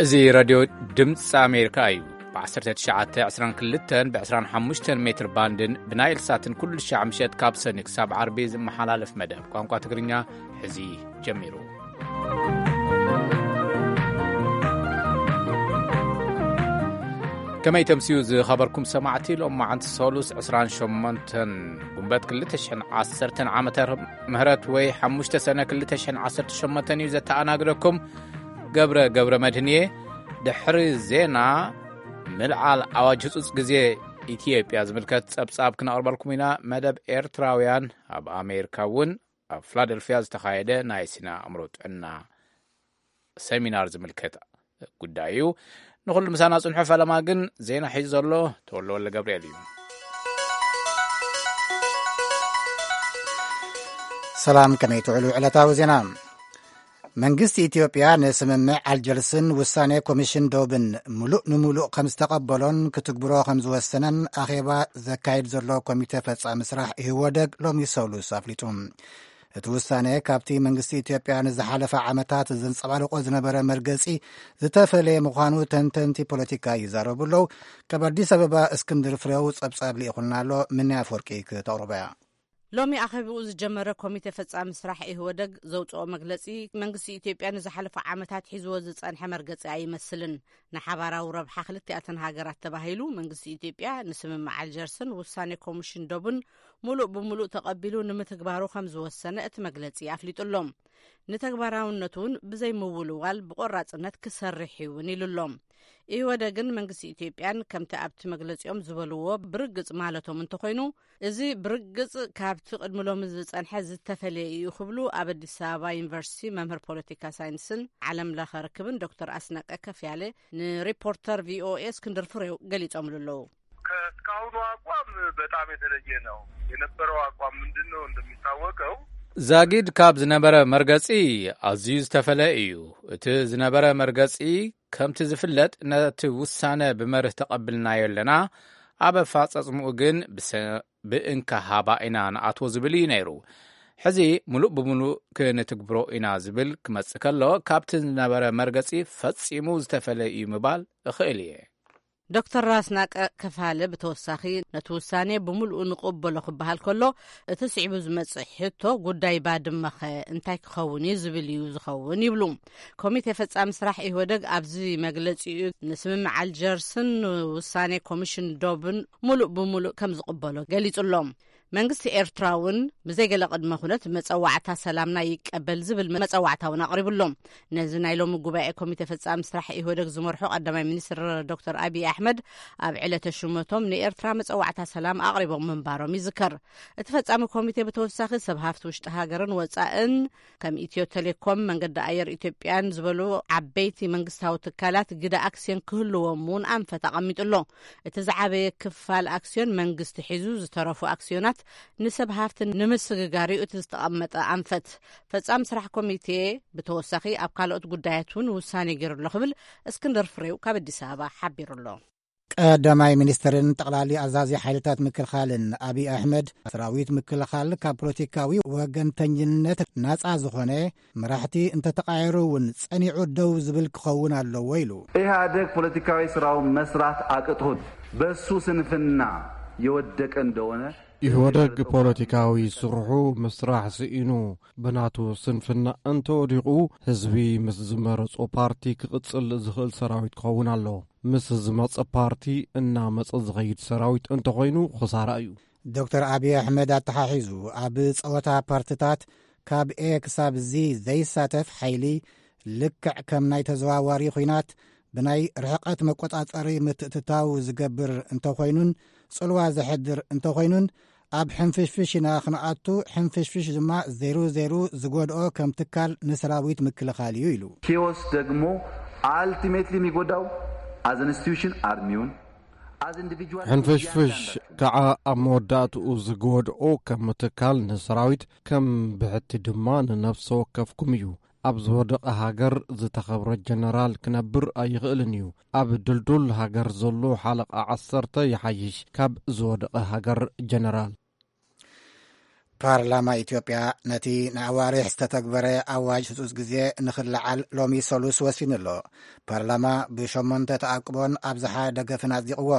እዚ ሬድዮ ድምፂ ኣሜሪካ እዩ። ብ1922 ብ25 ሜትር ባንድን ብናይል ሳትን ኩሉ ሻዕ ምሸት ካብ ሰኒ ክሳብ ዓርቢ ዝመሓላለፍ መደብ ቋንቋ ትግርኛ ሕዚ ጀሚሩ። ከመይ ተምስዩ ዝኸበርኩም ሰማዕቲ፣ ሎም መዓንቲ ሰሉስ 28 ጉንበት 2010 ዓመተ ምህረት ወይ 5 ሰነ 2018 እዩ። ዘተኣናግደኩም ገብረ ገብረ መድህን እየ። ድሕሪ ዜና፣ ምልዓል ኣዋጅ ህጹጽ ግዜ ኢትዮጵያ ዝምልከት ጸብጻብ ክነቕርበልኩም ኢና። መደብ ኤርትራውያን ኣብ ኣሜሪካ እውን ኣብ ፊላደልፊያ ዝተኻየደ ናይ ስነ ኣእምሮ ጥዕና ሰሚናር ዝምልከት ጉዳይ እዩ። ንኹሉ ምሳና ጽንሑ። ፈለማ ግን ዜና ሒዙ ዘሎ ተወልደ ወልደ ገብርኤል እዩ። ሰላም፣ ከመይ ትውዕሉ? ዕለታዊ ዜና። መንግስቲ ኢትዮጵያ ንስምምዕ ኣልጀርስን ውሳኔ ኮሚሽን ዶብን ምሉእ ንምሉእ ከም ዝተቐበሎን ክትግብሮ ከም ዝወሰነን ኣኼባ ዘካይድ ዘሎ ኮሚቴ ፈጻሚ ስራሕ ኢህወደግ ሎሚ ሰሉስ ኣፍሊጡ። እቲ ውሳኔ ካብቲ መንግስቲ ኢትዮጵያ ንዝሓለፈ ዓመታት ዘንጸባርቆ ዝነበረ መርገጺ ዝተፈለየ ምዃኑ ተንተንቲ ፖለቲካ ይዛረቡ ኣለዉ። ካብ ኣዲስ ኣበባ እስክንድር ፍሬው ጸብጻብ ልኢኹልና ኣሎ። ምንያ ኣፈወርቂ ክተቕርቦ እያ። ሎሚ ኣኼባኡ ዝጀመረ ኮሚቴ ፈጻሚ ስራሕ ኢህወደግ ዘውጽኦ መግለጺ፣ መንግስቲ ኢትዮጵያ ንዝሓለፈ ዓመታት ሒዝዎ ዝጸንሐ መርገጺ ኣይመስልን። ንሓባራዊ ረብሓ ክልቲኣተን ሃገራት ተባሂሉ መንግስቲ ኢትዮጵያ ንስምምዕ ኣልጀርስን ውሳኔ ኮሚሽን ዶብን ሙሉእ ብሙሉእ ተቐቢሉ ንምትግባሩ ከም ዝወሰነ እቲ መግለጺ ኣፍሊጡ ኣሎ። ንተግባራውነቱ እውን ብዘይምውልዋል ብቆራጽነት ክሰርሕ እውን ኢሉ ኣሎ። ኢህወደግን መንግስቲ ኢትዮጵያን ከምቲ ኣብቲ መግለጺኦም ዝበልዎ ብርግጽ ማለቶም እንተኾይኑ፣ እዚ ብርግጽ ካብቲ ቅድሚ ሎሚ ዝጸንሐ ዝተፈለየ እዩ ክብሉ ኣብ ኣዲስ ኣበባ ዩኒቨርሲቲ መምህር ፖለቲካ ሳይንስን ዓለም ለኸ ርክብን ዶክተር ኣስናቀ ከፍያለ ንሪፖርተር ቪኦኤ እስክንድር ፍሬው ገሊጾምሉ ኣለዉ። ከእስካሁኑ አቋም በጣም የተለየ ነው። የነበረው አቋም ምንድን ነው? እንደሚታወቀው ዛጊድ ካብ ዝነበረ መርገጺ ኣዝዩ ዝተፈለ እዩ። እቲ ዝነበረ መርገጺ ከምቲ ዝፍለጥ ነቲ ውሳነ ብመርህ ተቐብልናዮ ኣለና። ኣብ ኣፈጻጽምኡ ግን ብሰ-፣ ብእንካ ሃባ ኢና ንኣትዎ ዝብል እዩ ነይሩ። ሕዚ ምሉእ ብምሉእ ክንትግብሮ ኢና ዝብል ክመጽእ ከሎ ካብቲ ዝነበረ መርገጺ ፈጺሙ ዝተፈለ እዩ ምባል እኽእል እየ። ዶክተር ኣስናቀ ከፋለ ብተወሳኺ ነቲ ውሳኔ ብምሉኡ ንቕበሎ ክበሃል ከሎ እቲ ስዒቡ ዝመጽእ ሕቶ ጉዳይ ባድመኸ እንታይ ክኸውን እዩ ዝብል እዩ ዝኸውን ይብሉ። ኮሚቴ ፈጻሚ ስራሕ ኢህወደግ ኣብዚ መግለጺኡ ንስምምዕ ኣልጀርስን ውሳኔ ኮሚሽን ዶብን ሙሉእ ብሙሉእ ከም ዝቕበሎ ገሊጹ ኣሎ። መንግስቲ ኤርትራ እውን ብዘይ ገለ ቅድመ ኩነት መጸዋዕታ ሰላምና ይቀበል ዝብል መጸዋዕታ እውን ኣቕሪቡ ኣሎ። ነዚ ናይ ሎሚ ጉባኤ ኮሚቴ ፈጻሚ ስራሕ ኢህወደግ ዝመርሑ ቀዳማይ ሚኒስትር ዶክተር ኣብይ ኣሕመድ ኣብ ዕለተ ሹመቶም ንኤርትራ መጸዋዕታ ሰላም ኣቕሪቦም ምንባሮም ይዝከር። እቲ ፈጻሚ ኮሚቴ ብተወሳኺ ሰብ ሃፍቲ ውሽጢ ሃገርን ወጻእን ከም ኢትዮ ቴሌኮም፣ መንገዲ ኣየር ኢትዮጵያን ዝበሉ ዓበይቲ መንግስታዊ ትካላት ግደ ኣክስዮን ክህልዎም እውን ኣንፈት ኣቐሚጡ ኣሎ። እቲ ዝዓበየ ክፋል ኣክስዮን መንግስቲ ሒዙ፣ ዝተረፉ ኣክስዮናት ንሰብ ሃፍቲ ንምስግጋር እዩ እቲ ዝተቐመጠ ኣንፈት። ፈጻሚ ስራሕ ኮሚቴ ብተወሳኺ ኣብ ካልኦት ጉዳያት እውን ውሳኔ ገይሩ ኣሎ ክብል እስክንድር ፍሬው ካብ ኣዲስ ኣበባ ሓቢሩ ኣሎ። ቀዳማይ ሚኒስትርን ጠቕላሊ ኣዛዚ ሓይልታት ምክልኻልን ኣብይ ኣሕመድ፣ ሰራዊት ምክልኻል ካብ ፖለቲካዊ ወገንተኝነት ናጻ ዝኾነ፣ መራሕቲ እንተተቓየሩ እውን ጸኒዑ ደው ዝብል ክኸውን ኣለዎ ኢሉ። ኢህኣደግ ፖለቲካዊ ስራውን መስራት አቅቶት በሱ ስንፍና የወደቀ እንደሆነ ኢህወደግ ፖለቲካዊ ስርሑ ምስራሕ ስኢኑ ብናቱ ስንፍና እንተወዲቑ፣ ህዝቢ ምስ ዝመረጾ ፓርቲ ክቕጽል ዝኽእል ሰራዊት ክኸውን ኣለዎ። ምስ ዝመጸ ፓርቲ እናመጸ ዝኸይድ ሰራዊት እንተኾይኑ ክሳራ እዩ። ዶክተር ኣብይ ኣሕመድ ኣተሓሒዙ፣ ኣብ ጸወታ ፓርትታት ካብ ኤ ክሳብ ዚ ዘይሳተፍ ሓይሊ፣ ልክዕ ከም ናይ ተዘዋዋሪ ኲናት ብናይ ርሕቀት መቆጻጸሪ ምትእትታው ዝገብር እንተኾይኑን ጽልዋ ዘሕድር እንተኾይኑን፣ ኣብ ሕንፍሽፍሽ ኢና ክንኣቱ፣ ሕንፍሽፍሽ ድማ ዜሩ ዜሩ ዝጎድኦ ከም ትካል ንሰራዊት ምክልኻል እዩ ኢሉ። ኪዮስ ደግሞ ኣልቲሜትሊ የሚጎዳው አዝ ኢንስቲትዩሽን አርሚውን፣ ኣዝ ኢንዲቪጁዋል ሕንፍሽፍሽ ከዓ ኣብ መወዳእትኡ ዝጎድኦ ከም ትካል ንሰራዊት፣ ከም ብሕቲ ድማ ንነፍሰ ወከፍኩም እዩ። ኣብ ዝወደቐ ሃገር ዝተኸብረ ጀነራል ክነብር ኣይኽእልን እዩ። ኣብ ድልዱል ሃገር ዘሎ ሓለቓ ዓሰርተ ይሓይሽ ካብ ዝወደቐ ሃገር ጀነራል። ፓርላማ ኢትዮጵያ ነቲ ንኣዋርሕ ዝተተግበረ ኣዋጅ ህጹጽ ግዜ ንኽለዓል ሎሚ ሰሉስ ወሲኑ ኣሎ። ፓርላማ ብሸሞንተ ተኣቅቦን ኣብዝሓ ደገፍን ኣጽዲቕዎ።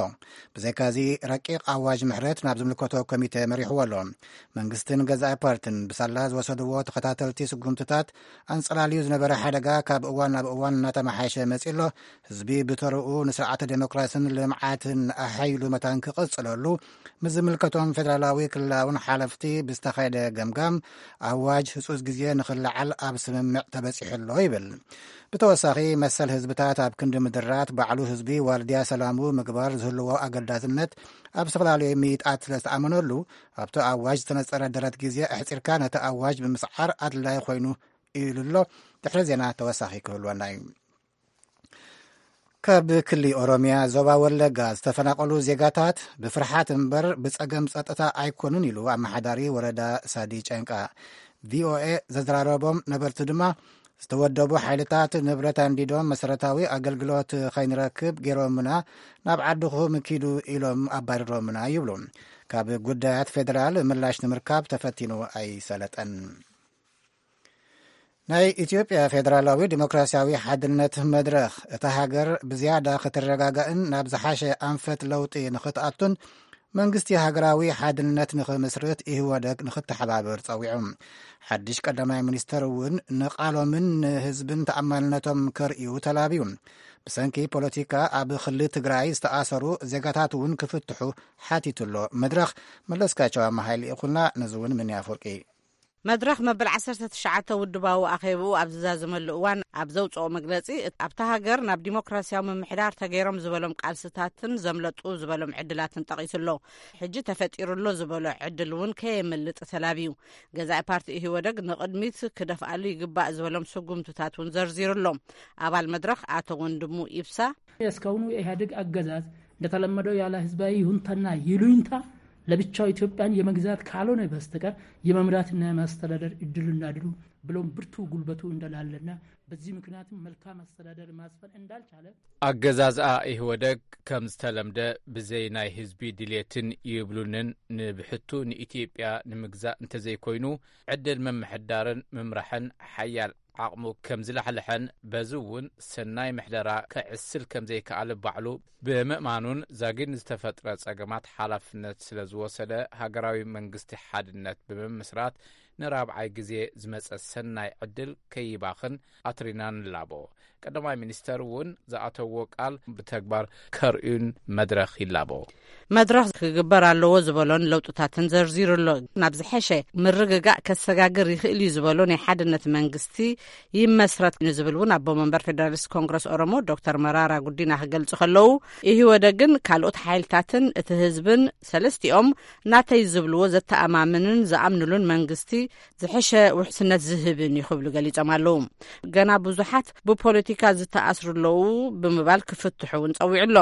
ብዘይካዚ፣ ረቂቕ ኣዋጅ ምሕረት ናብ ዝምልከቶ ኮሚተ መሪሕዎ ኣሎ። መንግስትን ገዛኢ ፓርትን ብሳላ ዝወሰድዎ ተኸታተልቲ ስጉምትታት፣ ኣንጸላልዩ ዝነበረ ሓደጋ ካብ እዋን ናብ እዋን እናተመሓየሸ መጺኡ ኣሎ። ህዝቢ ብተርኡ ንስርዓተ ዴሞክራስን ልምዓትን ኣሐይሉ መታን ክቕጽለሉ፣ ምስ ዝምልከቶም ፌደራላዊ ክልላውን ሓለፍቲ ብዝተኻየደ ገምጋም፣ ኣዋጅ ህጹጽ ግዜ ንኽለዓል ኣብ ስምምዕ ተበጺሑ ኣሎ ይብል። ብተወሳኺ፣ መሰል ህዝብታት ኣብ ክንዲ ምድራት፣ ባዕሉ ህዝቢ ዋርድያ ሰላሙ ምግባር ዝህልዎ ኣገዳስነት ኣብ ዝተፈላለዩ ምይጣት ስለ ዝተኣመነሉ፣ ኣብቲ ኣዋጅ ዝተነጸረ ደረት ግዜ ኣሕጺርካ ነቲ ኣዋጅ ብምስዓር ኣድላይ ኮይኑ ኢሉ ኣሎ። ድሕሪ ዜና ተወሳኺ ክህልወና እዩ። ካብ ክሊ ኦሮምያ ዞባ ወለጋ ዝተፈናቐሉ ዜጋታት ብፍርሓት እምበር ብጸገም ጸጥታ ኣይኮኑን ኢሉ ኣመሓዳሪ ወረዳ ሳዲ ጨንቃ። ቪኦኤ ዘዘራረቦም ነበርቲ ድማ፣ ዝተወደቡ ሓይልታት ንብረት ኣንዲዶም መሰረታዊ ኣገልግሎት ከይንረክብ ገይሮምና፣ ናብ ዓድኹም ኪዱ ኢሎም ኣባሪሮምና ይብሉ። ካብ ጉዳያት ፌደራል ምላሽ ንምርካብ ተፈቲኑ ኣይሰለጠን። ናይ ኢትዮጵያ ፌደራላዊ ዲሞክራሲያዊ ሓድነት መድረኽ፣ እታ ሃገር ብዝያዳ ክትረጋጋእን ናብ ዝሓሸ ኣንፈት ለውጢ ንኽትኣቱን፣ መንግስቲ ሃገራዊ ሓድነት ንኽምስርት ኢህወደግ ንኽተሓባብር ጸዊዑ። ሓድሽ ቀዳማይ ሚኒስተር እውን ንቓሎምን ንህዝብን ተኣማንነቶም ከርእዩ ተላብዩ። ብሰንኪ ፖለቲካ ኣብ ክሊ ትግራይ ዝተኣሰሩ ዜጋታት እውን ክፍትሑ ሓቲቱ ኣሎ። መድረኽ መለስካቸው ኣመሃይ ልኢኹልና፣ ነዚ እውን ምን ኣፈወርቂ። መድረኽ መበል ዓሰርተ ትሽዓተ ውድባዊ ኣኼብኡ ኣብ ዝዛዘመሉ እዋን ኣብ ዘውፅኦ መግለፂ፣ ኣብታ ሃገር ናብ ዲሞክራሲያዊ ምምሕዳር ተገይሮም ዝበሎም ቃልስታትን ዘምለጡ ዝበሎም ዕድላትን ጠቒሱ ኣሎ። ሕጂ ተፈጢሩ ኣሎ ዝበሎ ዕድል እውን ከየምልጥ ተላብዩ። ገዛኢ ፓርቲ ኢህወደግ ንቕድሚት ክደፍኣሉ ይግባእ ዝበሎም ስጉምትታት እውን ዘርዚሩ ኣሎ። ኣባል መድረኽ ኣቶ ወንድሙ ኢብሳ፣ እስካሁኑ የኢህአዴግ አገዛዝ እንደተለመደው ያለ ህዝባዊ ይሁንታና ይሉኝታ ለብቻው ኢትዮጵያን የመግዛት ካልሆነ በስተቀር የመምራትና የማስተዳደር እድልና ድሉ ብሎም ብርቱ ጉልበቱ እንደላለና በዚህ ምክንያትም መልካም አስተዳደር ማስፈን እንዳልቻለ። ኣገዛዝኣ ኢህወደግ ከም ዝተለምደ ብዘይ ናይ ህዝቢ ድልየትን ይብሉንን ንብሕቱ ንኢትዮጵያ ንምግዛእ እንተዘይኮይኑ ዕድል ምምሕዳርን ምምራሕን ሓያል ዓቕሙ ከም ዝላሕልሐን በዚ እውን ሰናይ ምሕደራ ከዕስል ከም ዘይከኣለ ባዕሉ ብምእማኑን ዛጊድ ንዝተፈጥረ ጸገማት ሓላፍነት ስለ ዝወሰደ ሃገራዊ መንግስቲ ሓድነት ብምምስራት ንራብዓይ ግዜ ዝመጸ ሰናይ ዕድል ከይባኽን ኣትሪና ንላቦ። ቀዳማይ ሚኒስተር እውን ዝኣተዎ ቃል ብተግባር ከርእዩን መድረኽ ይላቦ። መድረኽ ክግበር ኣለዎ ዝበሎን ለውጥታትን ዘርዚሩ ኣሎ። ናብ ዝሐሸ ምርግጋእ ከሰጋግር ይኽእል እዩ ዝበሎ ናይ ሓድነት መንግስቲ ይመስረት ንዝብል እውን ኣቦ መንበር ፌደራሊስት ኮንግረስ ኦሮሞ ዶክተር መራራ ጉዲና ክገልጹ ከለዉ፣ ኢህወደግን ካልኦት ሓይልታትን እቲ ህዝብን ሰለስቲኦም ናተይ ዝብልዎ ዘተኣማምንን ዝኣምንሉን መንግስቲ ዝሐሸ ውሕስነት ዝህብን እዩ ክብሉ ገሊጾም ኣለዉ። ገና ብዙሓት ብፖለቲካ ዝተኣስሩ ኣለዉ ብምባል ክፍትሑ እውን ጸዊዑ ኣሎ።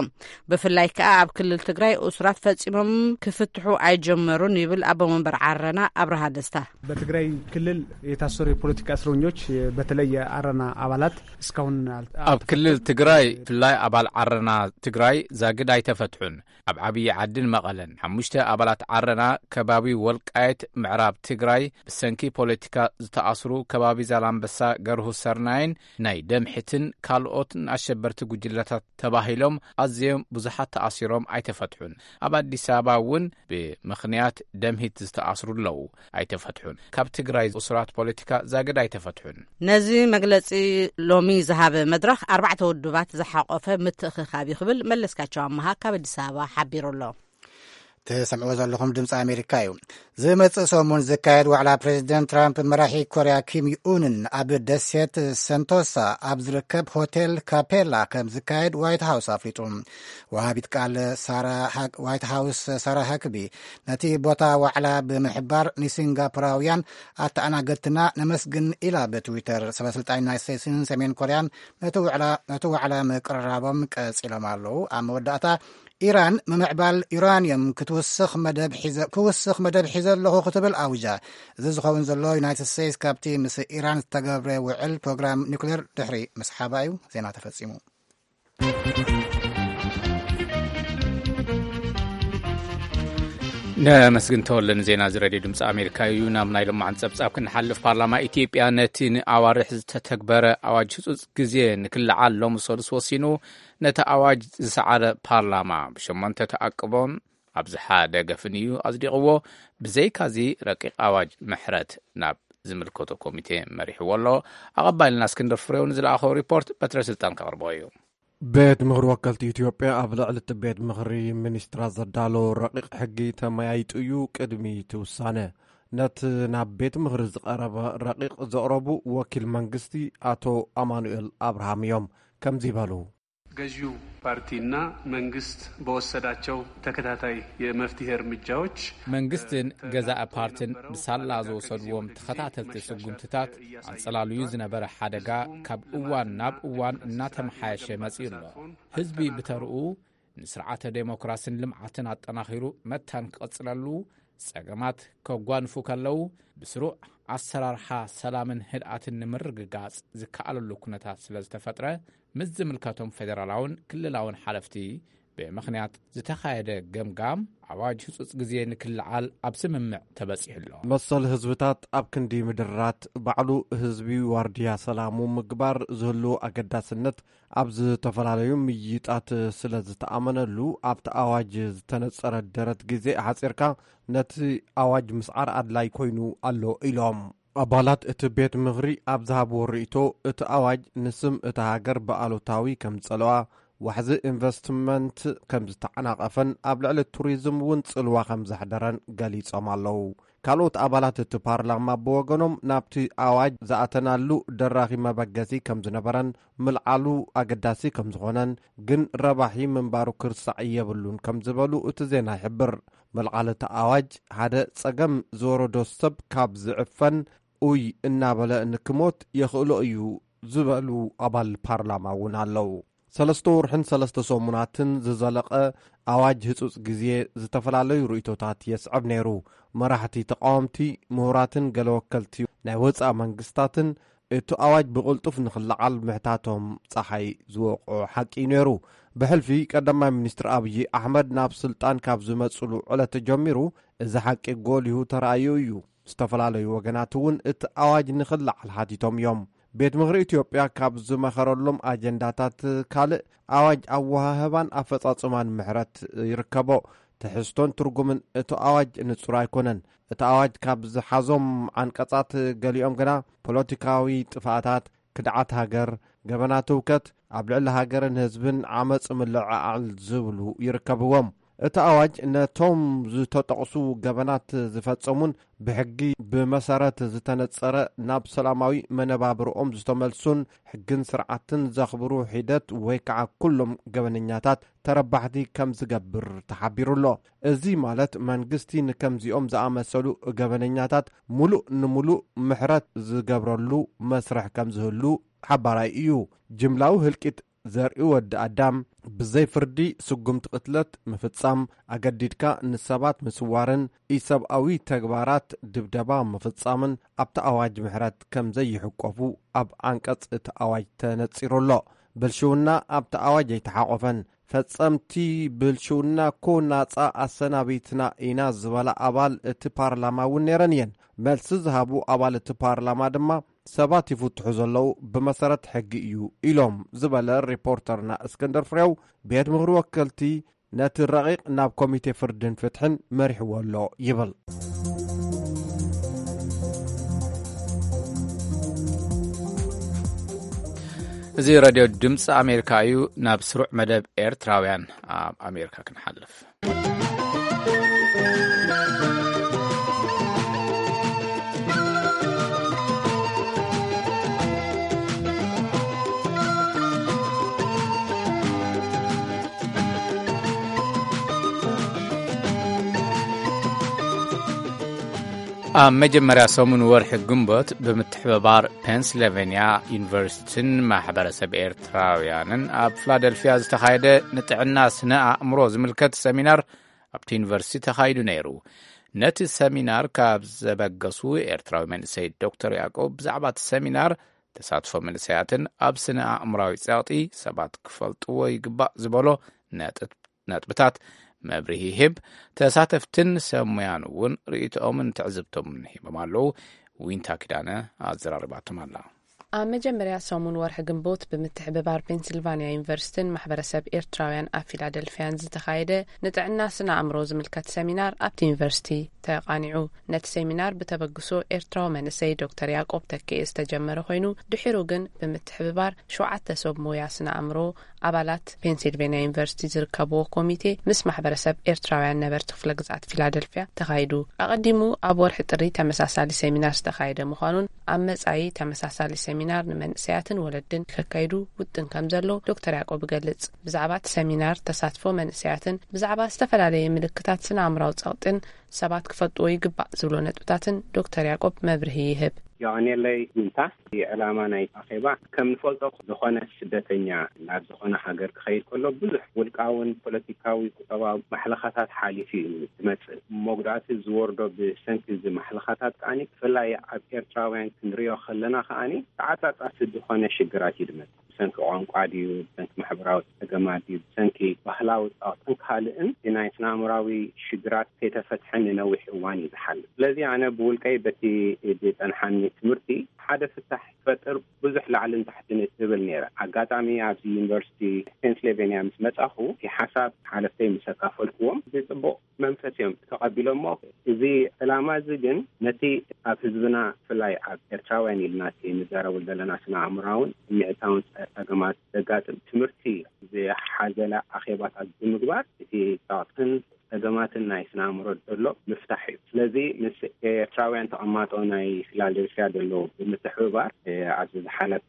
ብፍላይ ከኣ ኣብ ክልል ትግራይ እሱራት ፈጺሞም ክፍትሑ ኣይጀመሩን ይብል ኣቦ መንበር ዓረና ኣብርሃ ደስታ። በትግራይ ክልል የታሰሩ የፖለቲካ እስረኞች በተለይ የአረና አባላት እስካሁን አል- ኣብ ክልል ትግራይ ብፍላይ ኣባል ዓረና ትግራይ ዛግድ ኣይተፈትሑን። ኣብ ዓብዪ ዓድን መቐለን ሓሙሽተ ኣባላት ዓረና ከባቢ ወልቃየት ምዕራብ ትግራይ ብሰንኪ ፖለቲካ ዝተኣስሩ ከባቢ ዛላምበሳ ገርሁ ሰርናይን ናይ ደምሒትን ካልኦትን ኣሸበርቲ ጉጅለታት ተባሂሎም ኣዝዮም ብዙሓት ተኣሲሮም ኣይተፈትሑን። ኣብ ኣዲስ ኣበባ እውን ብምኽንያት ደምሂት ዝተኣስሩ ኣለዉ፣ ኣይተፈትሑን። ካብ ትግራይ እሱራት ፖለቲካ ዛግድ ኣይተፈትሑን። ነዚ መግለጺ ሎሚ ዝሃበ መድረኽ ኣርባዕተ ውድባት ዝሓቆፈ ምትእኽኻብ እዩ ክብል መለስካቸው ኣመሃ ካብ ኣዲስ ኣበባ ሓቢሩ ኣሎ። ትሰምዕዎ ዘለኹም ድምፂ ኣሜሪካ እዩ። ዝመፅእ ሰሙን ዝካየድ ዋዕላ ፕሬዚደንት ትራምፕ መራሒ ኮርያ ኪም ዩኡንን ኣብ ደሴት ሰንቶሳ ኣብ ዝርከብ ሆቴል ካፔላ ከም ዝካየድ ዋይት ሃውስ ኣፍሊጡ። ወሃቢት ቃል ሳራ ሃክ- ዋይት ሃውስ ሳራ ሃክቢ ነቲ ቦታ ዋዕላ ብምሕባር ንሲንጋፖራውያን ኣተኣናገድትና ነመስግን ኢላ ብትዊተር። ሰበስልጣን ዩናይት ስቴትስን ሰሜን ኮርያን ነቲ ዋዕላ ነቲ ዋዕላ ምቅርራቦም ቀፂሎም ኣለዉ። ኣብ መወዳእታ ኢራን ምምዕባል ዩራንየም ክትውስኽ መደብ ሒዘ ክውስኽ መደብ ሒዘ ኣለኹ ክትብል ኣውጃ። እዚ ዝኸውን ዘሎ ዩናይትድ ስቴትስ ካብቲ ምስ ኢራን ዝተገብረ ውዕል ፕሮግራም ኒውክሌር ድሕሪ ምስሓባ እዩ። ዜና ተፈጺሙ። ነመስግን ተወለ ንዜና እዚ ሬድዮ ድምፂ ኣሜሪካ እዩ። ናብ ናይ ሎማዓንቲ ጸብጻብ ክንሓልፍ፣ ፓርላማ ኢትዮጵያ ነቲ ንኣዋርሕ ዝተተግበረ ኣዋጅ ህጹጽ ግዜ ንክልዓል ሎሚ ሰሉስ ወሲኑ፣ ነቲ ኣዋጅ ዝሰዓረ ፓርላማ ብሸሞንተ ተኣቅቦን ኣብዚ ሓደ ገፍን እዩ ኣጽዲቕዎ። ብዘይካዚ ረቂቕ ኣዋጅ ምሕረት ናብ ዝምልከቶ ኮሚቴ መሪሕዎ ኣሎ። ኣቐባይልና እስክንድር ፍሬው ንዝለኣኸው ሪፖርት በትረ ስልጣን ከቕርቦ እዩ። ቤት ምኽሪ ወከልቲ ኢትዮጵያ ኣብ ልዕሊ እቲ ቤት ምኽሪ ሚኒስትራት ዘዳሎ ረቂቕ ሕጊ ተመያይጡ እዩ ቅድሚ እቲ ውሳነ። ነቲ ናብ ቤት ምኽሪ ዝቐረበ ረቂቕ ዘቕረቡ ወኪል መንግስቲ ኣቶ ኣማኑኤል ኣብርሃም እዮም ከምዚ ይበሉ። ገዢው ፓርቲና መንግስት በወሰዳቸው ተከታታይ የመፍትሄ እርምጃዎች መንግስትን ገዛኢ ፓርትን ብሳላ ዝወሰድዎም ተኸታተልቲ ስጉምትታት ኣንጸላልዩ ዝነበረ ሓደጋ ካብ እዋን ናብ እዋን እናተመሓየሸ መጺኡ ኣሎ። ህዝቢ ብተርኡ ንስርዓተ ዴሞክራሲን ልምዓትን ኣጠናኺሩ መታን ክቕጽለሉ፣ ጸገማት ከጓንፉ ከለዉ ብስሩዕ ኣሰራርሓ ሰላምን ህድኣትን ንምርግጋጽ ዝከኣለሉ ኩነታት ስለ ዝተፈጥረ፣ ምስ ዝምልከቶም ፌደራላውን ክልላውን ሓለፍቲ ብምኽንያት ዝተኻየደ ገምጋም ኣዋጅ ህጹጽ ግዜ ንክልዓል ኣብ ስምምዕ ተበጺሑ ኣሎ። መሰል ህዝብታት ኣብ ክንዲ ምድራት ባዕሉ ህዝቢ ዋርድያ ሰላሙ ምግባር ዝህልዎ ኣገዳስነት ኣብ ዝተፈላለዩ ምይይጣት ስለ ዝተኣመነሉ ኣብቲ ኣዋጅ ዝተነጸረ ደረት ግዜ ኣሕጺርካ ነቲ ኣዋጅ ምስዓር ኣድላይ ኮይኑ ኣሎ ኢሎም። ኣባላት እቲ ቤት ምኽሪ ኣብ ዝሃብዎ ርእይቶ፣ እቲ ኣዋጅ ንስም እታ ሃገር ብኣሉታዊ ከም ዝጸልዋ፣ ዋሕዚ ኢንቨስትመንት ከም ዝተዓናቐፈን ኣብ ልዕሊ ቱሪዝም እውን ጽልዋ ከም ዘሕደረን ገሊጾም ኣለዉ። ካልኦት ኣባላት እቲ ፓርላማ ብወገኖም፣ ናብቲ ኣዋጅ ዝኣተናሉ ደራኺ መበገሲ ከም ዝነበረን ምልዓሉ ኣገዳሲ ከም ዝኾነን ግን ረባሒ ምንባሩ ክርሳዕ የብሉን ከም ዝበሉ እቲ ዜና ይሕብር። ምልዓል እቲ ኣዋጅ ሓደ ጸገም ዝወረዶ ሰብ ካብ ዝዕፈን ኡይ እናበለ ንክሞት የኽእሎ እዩ ዝበሉ ኣባል ፓርላማ እውን ኣለዉ። ሰለስተ ወርሕን ሰለስተ ሰሙናትን ዝዘለቐ ኣዋጅ ህጹጽ ግዜ ዝተፈላለዩ ርእይቶታት የስዕብ ነይሩ። መራሕቲ ተቃወምቲ፣ ምሁራትን ገለ ወከልቲ ናይ ወጻኢ መንግስታትን እቲ ኣዋጅ ብቕልጡፍ ንኽለዓል ምሕታቶም ጸሓይ ዝወቕዖ ሓቂ እዩ ነይሩ። ብሕልፊ ቀዳማይ ሚኒስትር ኣብዪ ኣሕመድ ናብ ስልጣን ካብ ዝመጽሉ ዕለት ጀሚሩ እዚ ሓቂ ጎሊሁ ተራእዩ እዩ። ዝተፈላለዩ ወገናት እውን እቲ ኣዋጅ ንኽለዓል ሓቲቶም እዮም። ቤት ምኽሪ ኢትዮጵያ ካብ ዝመኸረሎም ኣጀንዳታት ካልእ ኣዋጅ ኣወሃህባን ኣፈጻጽማን ምሕረት ይርከቦ። ትሕዝቶን ትርጉምን እቲ ኣዋጅ ንጹር ኣይኮነን። እቲ ኣዋጅ ካብ ዝሓዞም ዓንቀጻት ገሊኦም ግና ፖለቲካዊ ጥፍኣታት፣ ክድዓት ሃገር፣ ገበናት ህውከት ኣብ ልዕሊ ሃገርን ህዝብን ዓመጽ ምልዕዓል ዝብሉ ይርከብዎም። እቲ ኣዋጅ ነቶም ዝተጠቕሱ ገበናት ዝፈጸሙን ብሕጊ ብመሰረት ዝተነጸረ ናብ ሰላማዊ መነባብርኦም ዝተመልሱን ሕግን ስርዓትን ዘኽብሩ ሒደት ወይ ከዓ ኩሎም ገበነኛታት ተረባሕቲ ከም ዝገብር ተሓቢሩ ኣሎ። እዚ ማለት መንግስቲ ንከምዚኦም ዝኣመሰሉ ገበነኛታት ሙሉእ ንሙሉእ ምሕረት ዝገብረሉ መስርሕ ከም ዝህሉ ሓባራይ እዩ። ጅምላዊ ህልቂት ዘርኢ ወዲ ኣዳም፣ ብዘይ ፍርዲ ስጉምቲ ቅትለት ምፍጻም፣ ኣገዲድካ ንሰባት ምስዋርን ኢሰብኣዊ ተግባራት ድብደባ ምፍጻምን ኣብቲ ኣዋጅ ምሕረት ከም ዘይሕቆፉ ኣብ ዓንቀጽ እቲ ኣዋጅ ተነጺሩ ኣሎ። ብልሽውና ኣብቲ ኣዋጅ ኣይተሓቖፈን። ፈጸምቲ ብልሽውና እኮ ናጻ ኣሰናቢትና ኢና ዝበላ ኣባል እቲ ፓርላማ እውን ነይረን እየን። መልሲ ዝሃቡ ኣባል እቲ ፓርላማ ድማ ሰባት ይፍትሑ ዘለዉ ብመሰረት ሕጊ እዩ ኢሎም ዝበለ ሪፖርተርና እስክንድር ፍሬው፣ ቤት ምኽሪ ወከልቲ ነቲ ረቒቕ ናብ ኮሚቴ ፍርድን ፍትሕን መሪሕዎ ኣሎ ይብል። እዚ ሬድዮ ድምፂ ኣሜሪካ እዩ። ናብ ስሩዕ መደብ ኤርትራውያን ኣብ ኣሜሪካ ክንሓልፍ። ኣብ መጀመርያ ሰሙን ወርሒ ግንቦት ብምትሕብባር ፔንስልቨንያ ዩኒቨርሲቲን ማሕበረሰብ ኤርትራውያንን ኣብ ፊላደልፊያ ዝተኻየደ ንጥዕና ስነ ኣእምሮ ዝምልከት ሰሚናር ኣብቲ ዩኒቨርሲቲ ተኻይዱ ነይሩ። ነቲ ሰሚናር ካብ ዘበገሱ ኤርትራዊ መንእሰይ ዶክተር ያዕቆብ ብዛዕባ እቲ ሰሚናር፣ ተሳትፎ መንእሰያትን ኣብ ስነ ኣእምራዊ ጸቕጢ ሰባት ክፈልጥዎ ይግባእ ዝበሎ ነጥብ ነጥብታት መብርሂ ይህብ። ተሳተፍትን ሰብ ሞያን እውን ርእይቶኦምን ትዕዝብቶምን ሂቦም ኣለዉ። ዊንታ ኪዳነ ኣዘራርባቶም ኣላ። ኣብ መጀመርያ ሰሙን ወርሒ ግንቦት ብምትሕብባር ፔንሲልቫንያ ዩኒቨርሲቲን ማሕበረሰብ ኤርትራውያን ኣብ ፊላደልፊያን ዝተኻየደ ንጥዕና ስነ ኣእምሮ ዝምልከት ሰሚናር ኣብቲ ዩኒቨርሲቲ ተቓኒዑ። ነቲ ሰሚናር ብተበግሶ ኤርትራዊ መንእሰይ ዶክተር ያዕቆብ ተክኤ ዝተጀመረ ኮይኑ፣ ድሒሩ ግን ብምትሕብባር ሸውዓተ ሰብ ሞያ ስነ ኣእምሮ ኣባላት ፔንሲልቬንያ ዩኒቨርሲቲ ዝርከብዎ ኮሚቴ ምስ ማሕበረሰብ ኤርትራውያን ነበርቲ ክፍለ ግዝኣት ፊላደልፊያ ተኻይዱ። ኣቐዲሙ ኣብ ወርሒ ጥሪ ተመሳሳሊ ሰሚናር ዝተኻየደ ምዃኑን ኣብ መጻኢ ተመሳሳሊ ሰሚናር ንመንእሰያትን ወለድን ከካይዱ ውጥን ከም ዘሎ ዶክተር ያዕቆብ ይገልጽ። ብዛዕባ እቲ ሰሚናር ተሳትፎ መንእሰያትን ብዛዕባ ዝተፈላለየ ምልክታት ስነ ኣእምራዊ ጸቕጥን ሰባት ክፈልጥዎ ይግባእ ዝብሎ ነጥብታትን ዶክተር ያዕቆብ መብርሂ ይህብ። የቐንየለይ ዊንታ። እቲ ዕላማ ናይ ኣኼባ ከም ንፈልጦ ዝኾነ ስደተኛ ናብ ዝኾነ ሃገር ክኸይድ ከሎ ብዙሕ ውልቃውን ፖለቲካዊ ቁጠባዊ ማሕለኻታት ሓሊፉ እዩ ዝመጽእ። መጉዳእቲ ዝወርዶ ብሰንኪ እዚ ማሕለኻታት ከኣኒ ብፍላይ ኣብ ኤርትራውያን ክንሪኦ ከለና ከኣኒ ተዓጻጻፊ ዝኾነ ሽግራት እዩ ዝመጽእ። ብሰንኪ ቋንቋ ድዩ፣ ብሰንኪ ማሕበራዊ ጸገማት ድዩ፣ ብሰንኪ ባህላዊ ጸቕጥን ካልእን እቲ ናይ ስነ ኣእምራዊ ሽግራት ከይተፈትሐ ንነዊሕ እዋን እዩ ዝሓልፍ። ስለዚ ኣነ ብውልቀይ በቲ ዝጸንሓኒ ትምህርቲ ሓደ ፍታሕ ክፈጥር ብዙሕ ላዕልን ታሕትን እብል ነይረ። ኣጋጣሚ ኣብዚ ዩኒቨርሲቲ ፔንስልቬንያ ምስ መጻኹ እቲ ሓሳብ ሓለፍተይ ምስ ኣካፈልኩዎም ብጽቡቕ መንፈስ እዮም ተቐቢሎሞ። እዚ ዕላማ እዚ ግን ነቲ ኣብ ህዝብና ብፍላይ ኣብ ኤርትራውያን ኢልና እቲ ንዛረበሉ ዘለና ስነ ኣእምራውን ስምዒታውን ጸገማት ዘጋጥም ትምህርቲ ዝሓዘለ ኣኼባታት ብምግባር እቲ ጸቕጥን ጸገማትን ናይ ስነ ኣእምሮ ዘሎ ምፍታሕ እዩ። ስለዚ ምስ ኤርትራውያን ተቐማጦ ናይ ፊላደልፊያ ዘለዉ ብምትሕብባር ኣብዚ ዝሓለፈ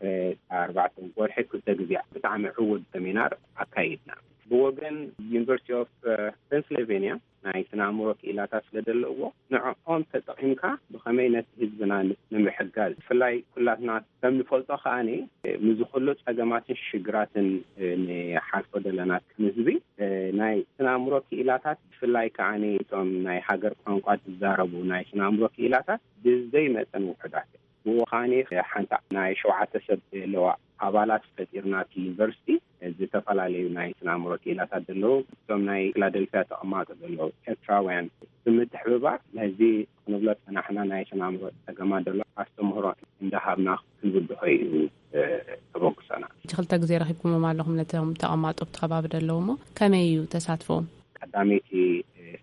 ኣርባዕተ ወርሒ ክልተ ግዜ ብጣዕሚ ዕዉት ሰሚናር ኣካይድና። ብወገን ዩኒቨርሲቲ ኦፍ ፔንስልቬንያ ናይ ስነ ኣእምሮ ክኢላታት ስለ ዘለዎ ንዕኦም ተጠቒምካ ብኸመይ ነቲ ህዝብና ንምሕጋዝ ብፍላይ ኩላትና ከም ንፈልጦ ከኣኒ ምዚ ኩሉ ጸገማትን ሽግራትን ንሓልፎ ዘለና ከም ህዝቢ ናይ ስነ ኣእምሮ ክኢላታት ብፍላይ ከኣኒ እቶም ናይ ሃገር ቋንቋ ዝዛረቡ ናይ ስነ ኣእምሮ ክኢላታት ብዘይመጠን ውሑዳት እዮም። ብኡ ከኣኒ ሓንቲ ናይ ሸውዓተ ሰብ ዘለዋ ኣባላት ፈጢርና እቲ ዩኒቨርሲቲ ዝተፈላለዩ ናይ ስነ ኣእምሮ ክኢላታት ዘለዉ እቶም ናይ ፊላደልፊያ ተቐማጦ ዘለዉ ኤርትራውያን ብምትሕብባር ነዚ ክንብሎ ጸናሕና ናይ ስነ ኣእምሮ ጸገማት ዘሎ ኣስተምህሮ እንዳሃብና ክንብድሆ እዩ ተበግሶና። ሕጂ ክልተ ግዜ ረኺብኩሞም ኣለኹም ነቶም ተቐማጦ ኣብቲ ከባቢ ዘለዉ እሞ ከመይ እዩ ተሳትፎም? ቀዳመይቲ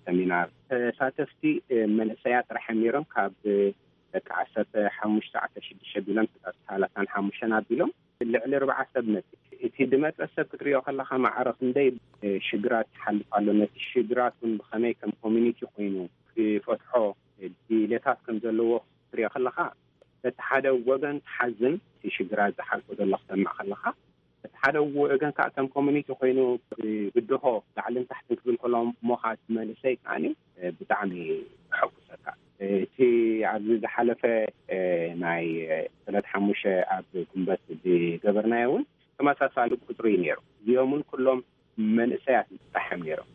ሰሚናር ተሳተፍቲ መንእሰያት ጥራሕ እዮም ነይሮም። ካብ ደቂ ዓሰርተ ሓሙሽተ ዓሰርተ ሽዱሽተ ቢሎም ክሳብ ሰላሳን ሓሙሽተን ኣቢሎም ልዕሊ ኣርባዓ ሰብ መጽ እቲ ድመጸ ሰብ ክትሪኦ ከለኻ ማዕረ ክንደይ ሽግራት ይሓልፍ ኣሎ። ነቲ ሽግራት እውን ብኸመይ ከም ኮሚኒቲ ኮይኑ ክፈትሖ ድሌታት ከም ዘለዎ ክትሪኦ ከለኻ በቲ ሓደ ወገን ትሓዝን እቲ ሽግራት ዝሓልፎ ዘሎ ክሰምዕ ከለኻ በቲ ሓደ ወገን ከዓ ከም ኮሚኒቲ ኮይኑ ብድሆ ላዕልን ታሕትን ክብል ከሎ እሞ ከዓ እቲ መንእሰይ ከዓኒ ብጣዕሚ የሐጉሰካ። እቲ ኣብዚ ዝሓለፈ ናይ ዕለት ሓሙሽተ ኣብ ጉንበት ዝገበርናዮ እውን ተመሳሳሊ ቁፅሪ እዩ ነይሩ። እዚኦም እውን ኩሎም መንእሰያት ጥራሕ እዮም ነይሮም።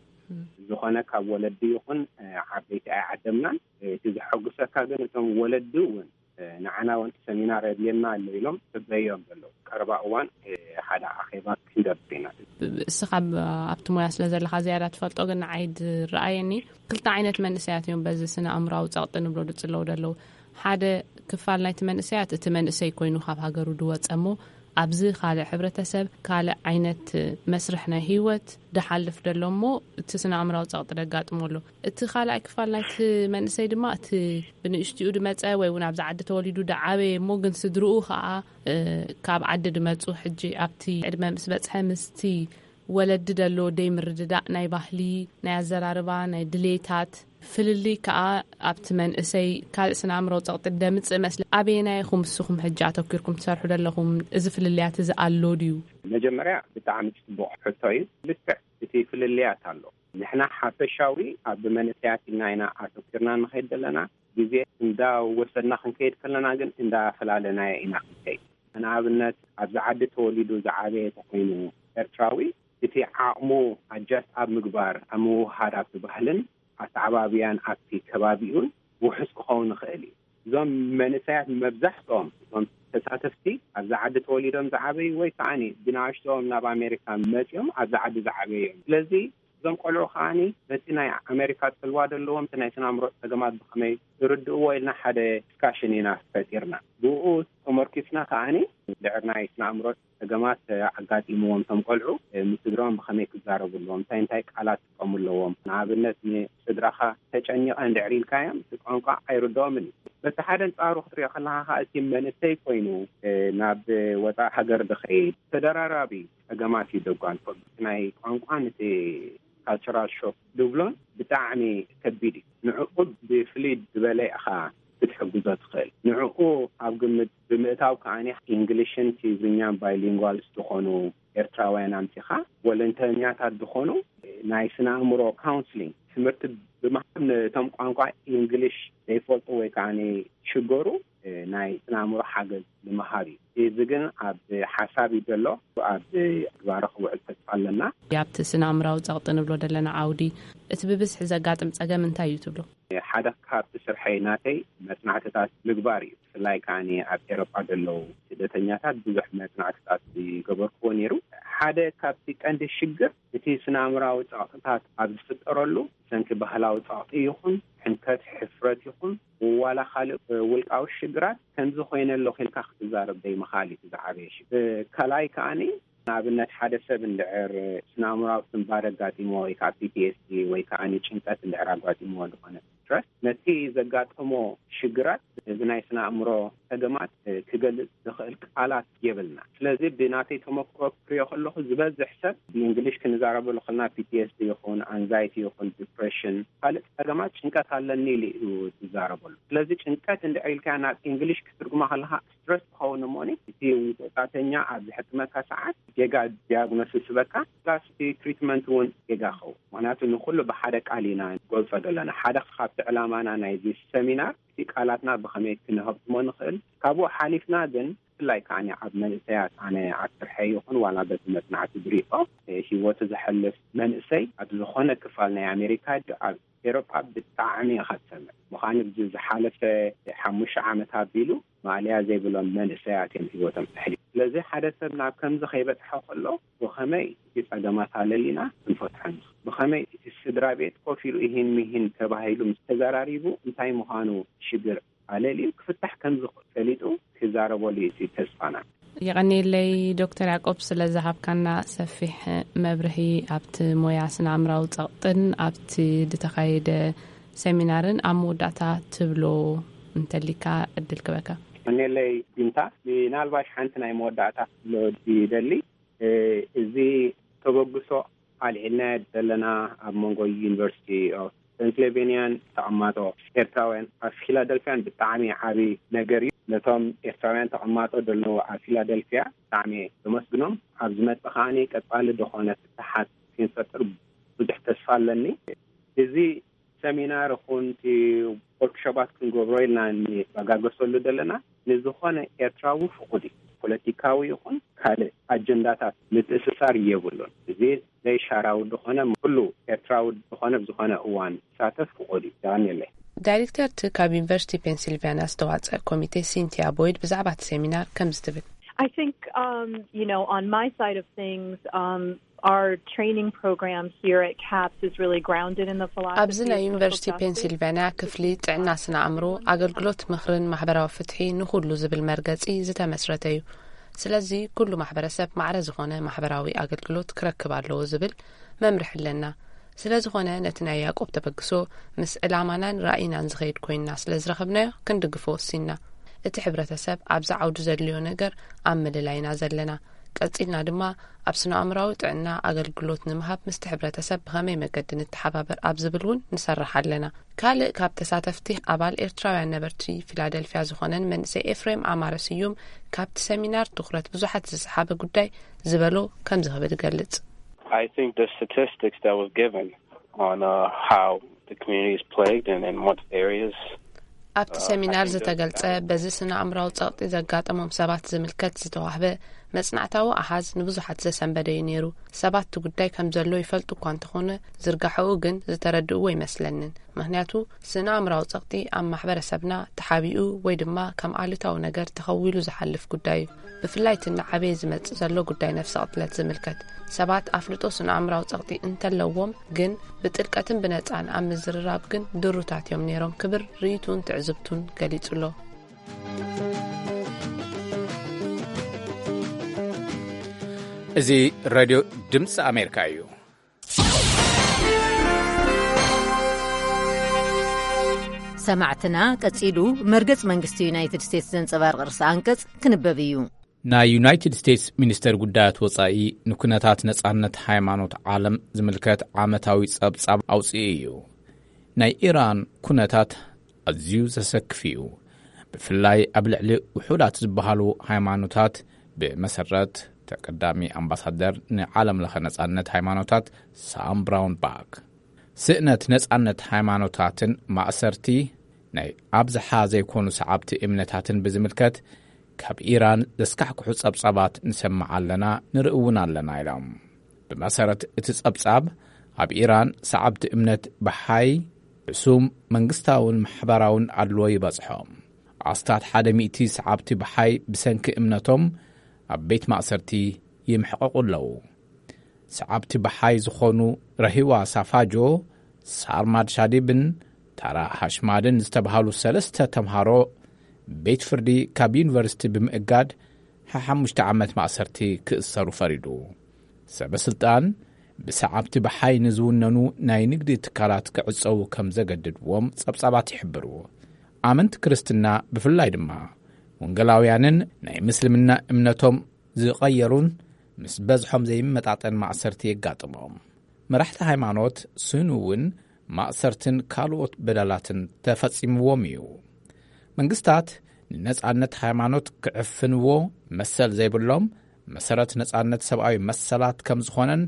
ዝኾነ ካብ ወለዲ ይኹን ዓበይቲ ኣይዓደምናን። እቲ ዘሐጉሰካ ግን እቶም ወለዲ እውን ንዓና እውን ሰሚናር የድልየና ኣሎ ኢሎም ጽበዮም ዘለዉ ቀረባ እዋን ሓደ ኣኼባ ክንገብር ኢና። እስኻ ኣብቲ ሞያ ስለ ዘለኻ ዝያዳ ትፈልጦ ግን ንዓይ ዝረኣየኒ ክልተ ዓይነት መንእሰያት እዮም በዚ ስነ ኣእምራዊ ጸቕጢ ንብሎ ዝጽለዉ ዘለዉ። ሓደ ክፋል ናይቲ መንእሰያት እቲ መንእሰይ ኮይኑ ካብ ሃገሩ ዝወጸ እሞ ኣብዚ ካልእ ሕብረተሰብ ካልእ ዓይነት መስርሕ ናይ ህይወት ዝሓልፍ ዘሎ እሞ እቲ ስነ ኣእምራዊ ጸቕጢ ደጋጥሞ ኣሎ። እቲ ካልኣይ ክፋል ናይቲ መንእሰይ ድማ እቲ ብንእሽትኡ ድመጸ ወይ እውን ኣብዚ ዓዲ ተወሊዱ ድዓበየ እሞ ግን ስድርኡ ከዓ ካብ ዓዲ ድመጹ ሕጂ ኣብቲ ዕድመ ምስ በጽሐ ምስቲ ወለዲ ደሎ ደይ ምርድዳእ ናይ ባህሊ ናይ ኣዘራርባ ናይ ድሌታት ፍልልይ ከዓ ኣብቲ መንእሰይ ካልእ ስነ ኣእምሮ ጸቕጢ ደምጽእ መስለ ኣበየናይ ኢኹም ንስኹም ሕጂ ኣተኪርኩም ትሰርሑ ዘለኹም? እዚ ፍልልያት እዚ ኣሎ ድዩ? መጀመርያ ብጣዕሚ ጽቡቕ ሕቶ እዩ። ልክዕ እቲ ፍልልያት ኣሎ። ንሕና ሓፈሻዊ ኣብ መንእሰያት ኢልና ኢና ኣተኪርና ንኸይድ ዘለና። ግዜ እንዳወሰድና ክንከይድ ከለና ግን እንዳፈላለናዮ ኢና ክንከይድ። ንኣብነት ኣብዚ ዓዲ ተወሊዱ ዝዓበየ ተኮይኑ ኤርትራዊ እቲ ዓቕሙ ኣጃስት ኣብ ምግባር ኣብ ምውሃድ ኣብቲ ባህልን ኣተዓባብያን ኣብቲ ከባቢኡን ውሑስ ክኸውን ይኽእል እዩ። እዞም መንእሰያት መብዛሕትኦም እቶም ተሳተፍቲ ኣብዚ ዓዲ ተወሊዶም ዝዓበዩ ወይ ከዓኒ ብንኣሽትኦም ናብ ኣሜሪካ መፅኦም ኣብዚ ዓዲ ዝዓበዩ እዮም። ስለዚ እዞም ቆልዑ ከዓኒ በቲ ናይ ኣሜሪካ ጽልዋ ዘለዎም እቲ ናይ ስነ ኣእምሮ ጸገማት ብኸመይ ዝርድእዎ ኢልና ሓደ ዲስካሽን ኢና ፈጢርና። ብኡ ተመርኪስና ከዓኒ ድሕሪ ናይ ስነ ኣእምሮ ጸገማት ኣጋጢምዎም እቶም ቆልዑ ምስ ስድራኦም ብኸመይ ክዛረቡ ኣለዎም፣ እንታይ እንታይ ቃላት ክጥቀሙ ኣለዎም። ንኣብነት ንስድራኻ ተጨኒቐ እንድሕር ኢልካዮም እቲ ቋንቋ ኣይርድኦምን እዩ። በቲ ሓደ ኣንጻሩ ክትሪኦ ከለኻ ከዓ እቲ መንእሰይ ኮይኑ ናብ ወፃኢ ሃገር ዝኸይድ ተደራራቢ ጸገማት እዩ ዘጓንፎ። ናይ ቋንቋን እቲ ካልቸራል ሾክ ዝብሎን ብጣዕሚ ከቢድ እዩ። ንዕኡ ብፍልይ ዝበለ ኢኻ ክትሕግዞ ትኽእል። ንዕኡ ኣብ ግምት ብምእታው ከዓኒ እንግሊሽን ትግርኛን ባይሊንጓልስ ዝኾኑ ኤርትራውያን ኣምጺኻ ወለንተኛታት ዝኾኑ ናይ ስነ ኣእምሮ ካውንስሊንግ ትምህርቲ ብምሃብ ነቶም ቋንቋ እንግሊሽ ዘይፈልጡ ወይ ከዓኒ ሽገሩ ናይ ስነ ኣእምሮ ሓገዝ ንምሃብ እዩ። እዚ ግን ኣብ ሓሳብ እዩ ዘሎ፣ ኣብ ግባረ ክውዕል ተስፋ ኣለና። ኣብቲ ስነ ኣእምራዊ ጸቕጢ ንብሎ ዘለና ዓውዲ እቲ ብብዝሒ ዘጋጥም ጸገም እንታይ እዩ ትብሉ? ሓደ ካብቲ ስርሐይ ናተይ መጽናዕትታት ምግባር እዩ። ብፍላይ ከዓኒ ኣብ ኤሮጳ ዘለዉ ስደተኛታት ብዙሕ መጽናዕትታት ዝገበርክዎ ነይሩ። ሓደ ካብቲ ቀንዲ ሽግር እቲ ስነ ኣእምራዊ ጸቕጥታት ኣብ ዝፍጠረሉ ብሰንኪ ባህላዊ ጸቕጢ ይኹን ሕንከት፣ ሕፍረት ይኹን ዋላ ካልእ ውልቃዊ ሽግራት ከምዚ ኮይነ ኣለኹ ኢልካ ክትዛረብ ዘይምኽኣል እዩ ዝዓበየ ሽግር። ካልኣይ ከዓኒ ንኣብነት ሓደ ሰብ እንድሕር ስነ ኣእምራዊ ስንባደ ኣጋጢሞ ወይ ከዓ ፒ ቲ ኤስ ዲ ወይ ከዓ ጭንቀት እንድሕር ኣጋጢሞ ዝኾነ ስትረስ ነቲ ዘጋጠሞ ሽግራት እዚ ናይ ስነ ኣእምሮ ጸገማት ክገልጽ ዝኽእል ቃላት የብልና። ስለዚ ብናተይ ተመክሮ ክሪኦ ከለኹ ዝበዝሕ ሰብ ብእንግሊሽ ክንዛረበሉ ከለና ፒ ቲ ኤስ ዲ ይኹን ኣንዛይቲ ይኹን ዲፕሬሽን ካልእ ጸገማት ጭንቀት ኣለኒ ኢሉ እዩ ዝዛረበሉ። ስለዚ ጭንቀት እንድሕር ኢልካ ናብ እንግሊሽ ክትርጉማ ከለኻ ስትረስ ትኸውን እሞኒ እቲ ወጻእተኛ ኣብ ዝሕክመካ ሰዓት ጌጋ ዲያግኖሲስ ይበካ ፕላስ እቲ ትሪትመንት እውን ጌጋ ይኸውን። ምክንያቱ ንኩሉ ብሓደ ቃል ኢና ንገልጾ ዘለና። ሓደ ካብቲ ዕላማና ናይዚ ሰሚናር እቲ ቃላትና ብኸመይ ክንህብትሞ ንኽእል። ካብኡ ሓሊፍና ግን ብፍላይ ከዓኒ ኣብ መንእሰያት ኣነ ኣብ ስርሐይ ይኹን ዋላ በቲ መጽናዕቲ ዝሪኦ ህይወቱ ዘሕልፍ መንእሰይ ኣብ ዝኾነ ክፋል ናይ ኣሜሪካ ኣብ ኤሮጳ ብጣዕሚ ኢኻ ትሰምዕ። ምዃኑ እዚ ዝሓለፈ ሓሙሽተ ዓመት ኣቢሉ ማእለያ ዘይብሎም መንእሰያት እዮም ህይወቶም ተሕሊፉ። ስለዚ ሓደ ሰብ ናብ ከምዚ ከይበጽሖ ከሎ ብኸመይ እቲ ጸገማት ኣለሊና ክንፈትሖ ንኽእል? ብኸመይ እቲ ስድራ ቤት ኮፍ ኢሉ እሂን ምሂን ተባሂሉ ምስ ተዘራሪቡ እንታይ ምዃኑ ሽግር ኣለሊዩ ክፍታሕ ከም ዝኽእል ፈሊጡ ክዛረበሉ እዩ እቲ ተስፋና። የቐንየለይ ዶክተር ያዕቆብ ስለ ዝሃብካና ሰፊሕ መብርሂ ኣብቲ ሞያ ስነ ኣእምራዊ ጸቕጥን ኣብቲ ዝተኻየደ ሰሚናርን። ኣብ መወዳእታ ትብሎ እንተሊካ ዕድል ክበካ። የቐንየለይ ቢንታ፣ ምናልባሽ ሓንቲ ናይ መወዳእታ ክብሎ ይደሊ። እዚ ተበግሶ ኣልዒልና ዘለና ኣብ መንጎ ዩኒቨርሲቲ ኦፍ ፔንስልቬንያን ተቐማጦ ኤርትራውያን ኣብ ፊላደልፊያን ብጣዕሚ ዓቢ ነገር እዩ። ነቶም ኤርትራውያን ተቐማጦ ዘለዉ ኣብ ፊላደልፊያ ብጣዕሚ የመስግኖም። ኣብ ዝመጽእ ከዓኒ ቀጻሊ ዝኾነ ፍትሓት ክንፈጥር ብዙሕ ተስፋ ኣለኒ። እዚ ሰሚናር ይኹን እቲ ወርክሾፓት ክንገብሮ ኢልና እንበጋገሰሉ ዘለና ንዝኾነ ኤርትራዊ ፍቑድ እዩ። ፖለቲካዊ ይኹን ካልእ ኣጀንዳታት ምትእስሳር የብሉን። እዚ ዘይሻራዊ ዝኾነ ኩሉ ኤርትራዊ ዝኾነ ብዝኾነ እዋን ይሳተፍ ፍቑድ እዩ። ዳንኤለይ። ዳይሬክተር እቲ ካብ ዩኒቨርሲቲ ፔንሲልቫኒያ ዝተዋፀ ኮሚቴ ሲንቲያ ቦይድ ብዛዕባ እቲ ሴሚናር ከምዚ ትብል። I think, um, you know, on my side of things, um, our training program here at CAPS is really grounded in the philosophy ኣብዚ ናይ ዩኒቨርሲቲ ፔንሲልቫኒያ ክፍሊ ጥዕና ስነ ኣእምሮ ኣገልግሎት ምኽርን ማሕበራዊ ፍትሒ ንኹሉ ዝብል መርገጺ ዝተመስረተ እዩ። ስለዚ ኩሉ ማሕበረሰብ ማዕረ ዝኾነ ማሕበራዊ ኣገልግሎት ክረክብ ኣለዎ ዝብል መምርሒ ኣለና። ስለ ዝኾነ ነቲ ናይ ያዕቆብ ተበግሶ ምስ ዕላማናን ራእይናን ዝኸይድ ኮይንና ስለ ዝረኸብናዮ ክንድግፎ ወሲንና። እቲ ሕብረተሰብ ኣብዚ ዓውዲ ዘድልዮ ነገር ኣብ ምልላይና ዘለና። ቀጺልና ድማ ኣብ ስነ ኣእምራዊ ጥዕና ኣገልግሎት ንምሃብ ምስቲ ሕብረተሰብ ብኸመይ መገዲ ንተሓባበር ኣብ ዝብል እውን ንሰርሕ ኣለና። ካልእ ካብ ተሳተፍቲ ኣባል ኤርትራውያን ነበርቲ ፊላደልፊያ ዝኾነን መንእሰይ ኤፍሬም ኣማረ ስዩም ካብቲ ሰሚናር ትኹረት ብዙሓት ዝሰሓበ ጉዳይ ዝበሎ ከምዚ ክብል ይገልጽ። I think the statistics that was given on uh, how the community is plagued and in what areas ኣብቲ ሰሚናር ዝተገልጸ በዚ ስነ ኣእምራዊ ጸቕጢ ዘጋጠሞም ሰባት ዝምልከት ዝተዋህበ መጽናዕታዊ ኣሃዝ ንብዙሓት ዘሰንበደ እዩ ነይሩ። ሰባት እቲ ጉዳይ ከም ዘሎ ይፈልጡ እኳ እንተኾነ፣ ዝርጋሐኡ ግን ዝተረድእዎ ይመስለንን። ምኽንያቱ፣ ስነ ኣእምራዊ ጸቕጢ ኣብ ማሕበረሰብና ተሓቢኡ ወይ ድማ ከም ኣሉታዊ ነገር ተኸዊሉ ዝሓልፍ ጉዳይ እዩ። ብፍላይ እቲ እናዓበየ ዝመጽእ ዘሎ ጉዳይ ነፍሰ ቅትለት ዝምልከት፣ ሰባት ኣፍልጦ ስነ ኣእምራዊ ጸቕጢ እንተለዎም ግን ብጥልቀትን ብነጻን ኣብ ምዝርራብ ግን ድሩታት እዮም ነይሮም ክብል ርእይቱን ትዕዝብቱን ገሊጹ ኣሎ። እዚ ሬድዮ ድምፂ ኣሜሪካ እዩ። ሰማዕትና፣ ቀጺሉ መርገጽ መንግስቲ ዩናይትድ ስቴትስ ዘንጸባርቕ ርእሰ ኣንቀጽ ክንበብ እዩ። ናይ ዩናይትድ ስቴትስ ሚኒስተር ጉዳያት ወጻኢ ንኩነታት ነጻነት ሃይማኖት ዓለም ዝምልከት ዓመታዊ ጸብጻብ ኣውጽኡ እዩ። ናይ ኢራን ኩነታት ኣዝዩ ዘሰክፍ እዩ። ብፍላይ ኣብ ልዕሊ ውሑዳት ዝበሃሉ ሃይማኖታት፣ ብመሰረት ተቀዳሚ ኣምባሳደር ንዓለም ለኸ ነጻነት ሃይማኖታት ሳም ብራውን ባክ፣ ስእነት ነጻነት ሃይማኖታትን ማእሰርቲ ናይ ኣብዝሓ ዘይኮኑ ሰዓብቲ እምነታትን ብዝምልከት ካብ ኢራን ዘስካሕክሑ ጸብጻባት ንሰምዕ ኣለና፣ ንርኢ እውን ኣለና ኢሎም። ብመሰረት እቲ ጸብጻብ፣ ኣብ ኢራን ሰዓብቲ እምነት ብሓይ ሕሱም መንግስታውን ማሕበራውን ኣድልዎ ይበጽሖም። ኣስታት ሓደ ሚእቲ ሰዓብቲ ብሓይ ብሰንኪ እምነቶም ኣብ ቤት ማእሰርቲ ይምሕቐቑ ኣለዉ። ሰዓብቲ ብሓይ ዝኾኑ ረሂዋ ሳፋጆ፣ ሳርማድ ሻዲብን ታራ ሃሽማድን ዝተባህሉ ሰለስተ ተምሃሮ ቤት ፍርዲ ካብ ዩኒቨርሲቲ ብምእጋድ ሓሓሙሽተ ዓመት ማእሰርቲ ክእሰሩ ፈሪዱ። ሰበ ስልጣን ብሰዓብቲ ብሓይ ንዝውነኑ ናይ ንግዲ ትካላት ክዕጸዉ ከም ዘገድድዎም ጸብጻባት ይሕብሩ። ኣመንቲ ክርስትና ብፍላይ ድማ ወንጌላውያንን ናይ ምስልምና እምነቶም ዝቐየሩን ምስ በዝሖም ዘይመጣጠን ማእሰርቲ የጋጥሞም። መራሕቲ ሃይማኖት ስኑ እውን ማእሰርትን ካልኦት በደላትን ተፈጺምዎም እዩ። መንግስታት ንነጻነት ሃይማኖት ክዕፍንዎ መሰል ዘይብሎም፣ መሰረት ነጻነት ሰብኣዊ መሰላት ከም ዝኾነን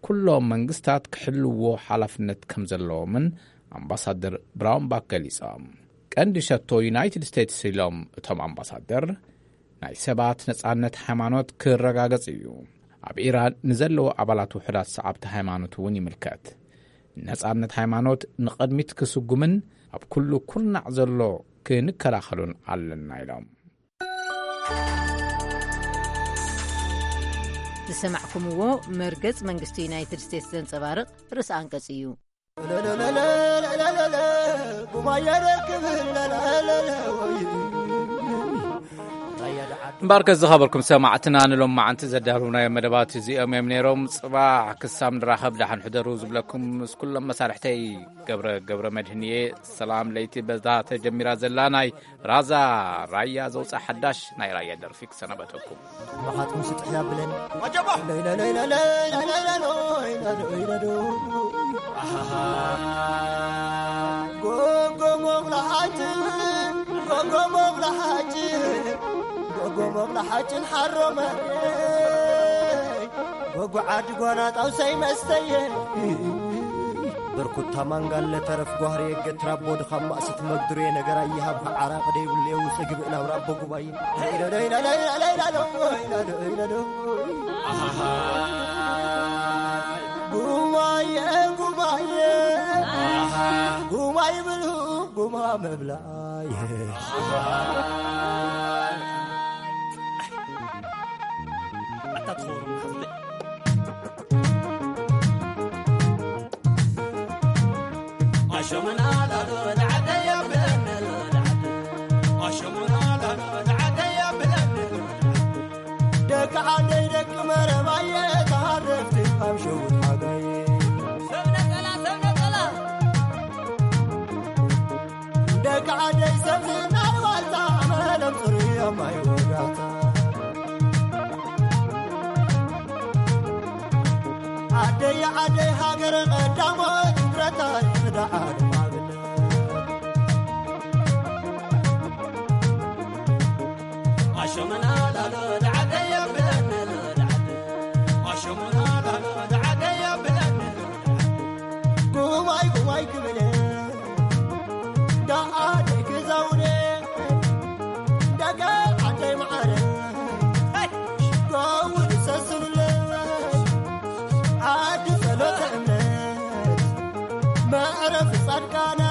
ኩሎም መንግስታት ክሕልዎ ሓላፍነት ከም ዘለዎምን ኣምባሳደር ብራውንባክ ገሊጾም። ቀንዲ ሸቶ ዩናይትድ ስቴትስ ኢሎም እቶም ኣምባሳደር፣ ናይ ሰባት ነጻነት ሃይማኖት ክረጋገጽ እዩ። ኣብ ኢራን ንዘለዉ ኣባላት ውሑዳት ሰዓብቲ ሃይማኖት እውን ይምልከት። ነጻነት ሃይማኖት ንቕድሚት ክስጉምን ኣብ ኩሉ ኩርናዕ ዘሎ ክንከላኸሉን ኣለና ኢሎም። ዝሰማዕኩምዎ መርገጽ መንግስቲ ዩናይትድ ስቴትስ ዘንጸባርቕ ርእሰ ኣንቀጽ እዩ። እምበኣርከ ዝኸበርኩም ሰማዕትና፣ ንሎም መዓንቲ ዘዳለውናዮ መደባት እዚኦም እዮም ነይሮም። ጽባሕ ክሳብ ንራኸብ ደሓን ሕደሩ ዝብለኩም ምስ ኩሎም መሳርሕተይ ገብረ፣ ገብረ መድህን እየ። ሰላም ለይቲ በዛ ተጀሚራ ዘላ ናይ ራዛ ራያ ዘውፅኣ ሓዳሽ ናይ ራያ ደርፊ ክሰናበተኩም። መኻትኩም ስጥሕ ያብለን። ጎጎ መብላሓጭ፣ ጎጎ መብላሓጭ፣ ጎጎ መብላሓጭን ሓሮ መሬ፣ ጎጎ ዓዲ ጓና ጣውሳይ መስተየ። ብርኩታ ማንጋለ ተረፍ ጓህሪ የገትራቦ ድኻም ማእስት መግዱሬ ነገር ኣይሃብካ ዓራቕ ደይብሉ የውፅእ ግብእ ናብ ራቦ ጉባኤ። ጉማየ ጉማየ ጉማይ ብሉ ጉማ መብላየ። ኣታ ትኸውን ሓፍለይ። ደቂ ዓደይ ደቂ መረባየ ተሃረፍቲ ኣብ ሸውት ሓጋይ። ደቂ ዓደይ ሰብ ዝናይ ዋልታ መለም ጽሩይ ኣብ ማይ ወጋታ። ዓደይ ዓደይ ሃገረ ቀዳሞት ብረታ ይኽዳ ዓለም ኣብነት። ኣሸመና ላሎ ደዓደይ ኣብለነ ደዓደ። ኣሸመና ላሎ ደዓደይ ኣብለነ ደዓደ። ጉማይ ጉማይ ክብለ ደዓደይ ክዛውደ ደቂ ዓደይ መዓረ። ጻድቃነ